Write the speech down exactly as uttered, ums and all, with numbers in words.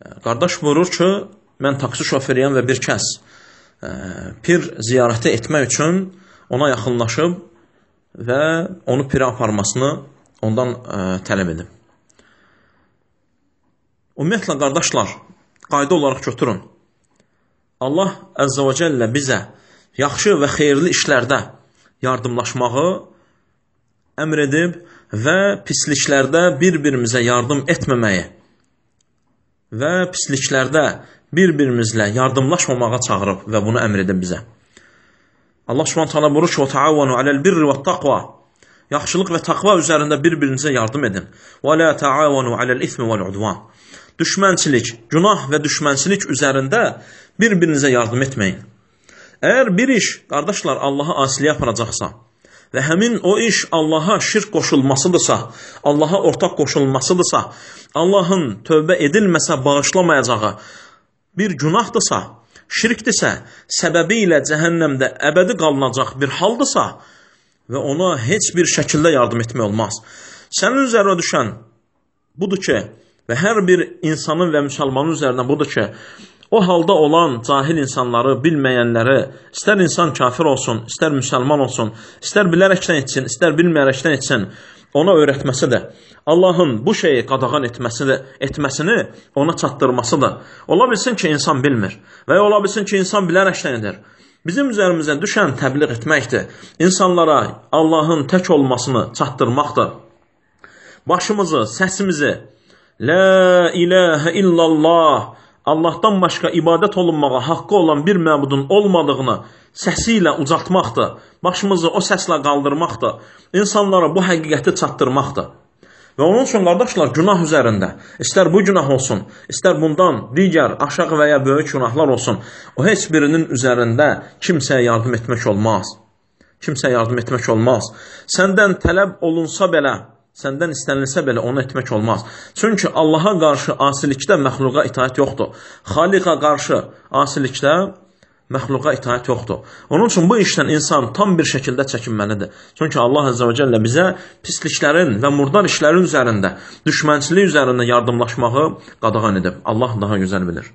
Qardaş buyurur ki, mən taksi şoferiyəm və bir kəs ə, pir ziyarəti etmək üçün ona yaxınlaşıb və onu pirə aparmasını ondan ə, tələb edib. Ümumiyyətlə, qardaşlar, qayda olaraq götürün. Allah Əzzə və Cəllə bizə yaxşı və xeyirli işlərdə yardımlaşmağı əmr edib və pisliklərdə bir-birimizə yardım etməməyi və pisliklərdə bir-birimizlə yardımlaşmamağa çağırıb və bunu əmr edib bizə. Allah Subhanahu taala buyurur ki: "Və taavunu alel birri və taqva." Yaxşılıq və taqva üzərində bir-birinizə yardım edin. "Və la taavunu alel ismi vəl udvan." Düşmənçilik, günah və düşmənçilik üzərində bir-birinizə yardım etməyin. Əgər bir iş, qardaşlar, Allaha asiliyə aparacaqsa və həmin o iş Allaha şirk qoşulmasıdırsa, Allaha ortaq qoşulmasıdırsa, Allahın tövbə edilməsə bağışlamayacağı bir günahdırsa, şirkdirsə, səbəbi ilə cəhənnəmdə əbədi qalınacaq bir haldırsa və ona heç bir şəkildə yardım etmək olmaz. Sənin üzərinə düşən budur ki, və hər bir insanın və müsəlmanın üzərinə budur ki, o halda olan cahil insanları, bilməyənləri, istər insan kafir olsun, istər müsəlman olsun, istər bilərəkdən etsin, istər bilməyərəkdən etsin, ona öyrətməsidir. Allahın bu şeyi qadağan etməsidir, etməsini ona çatdırmasıdır. Ola bilsin ki, insan bilmir və ya ola bilsin ki, insan bilərəkdən edir. Bizim üzərimizə düşən təbliğ etməkdir. İnsanlara Allahın tək olmasını çatdırmaqdır. Başımızı, səsimizi La ilahə illallah, Allahdan başqa ibadət olunmağa haqqı olan bir məbudun olmadığını səsi ilə ucaltmaqdır. Başımızı o səslə qaldırmaqdır. İnsanlara bu həqiqəti çatdırmaqdır. Və onun üçün, qardaşlar, günah üzərində, istər bu günah olsun, istər bundan digər, aşağı və ya böyük günahlar olsun, o heç birinin üzərində kimsəyə yardım etmək olmaz. Kimsəyə yardım etmək olmaz. Səndən tələb olunsa belə, səndən istənilsə belə onu etmək olmaz. Çünki Allaha qarşı asilikdə məxluqa itaət yoxdur. Xaliqa qarşı asilikdə məxluqa itaət yoxdur. Onun üçün bu işdən insan tam bir şəkildə çəkinməlidir. Çünki Allah Əzzə və Cəllə bizə pisliklərin və murdar işlərin üzərində, düşmənçilik üzərində yardımlaşmağı qadağan edib. Allah daha gözəl bilir.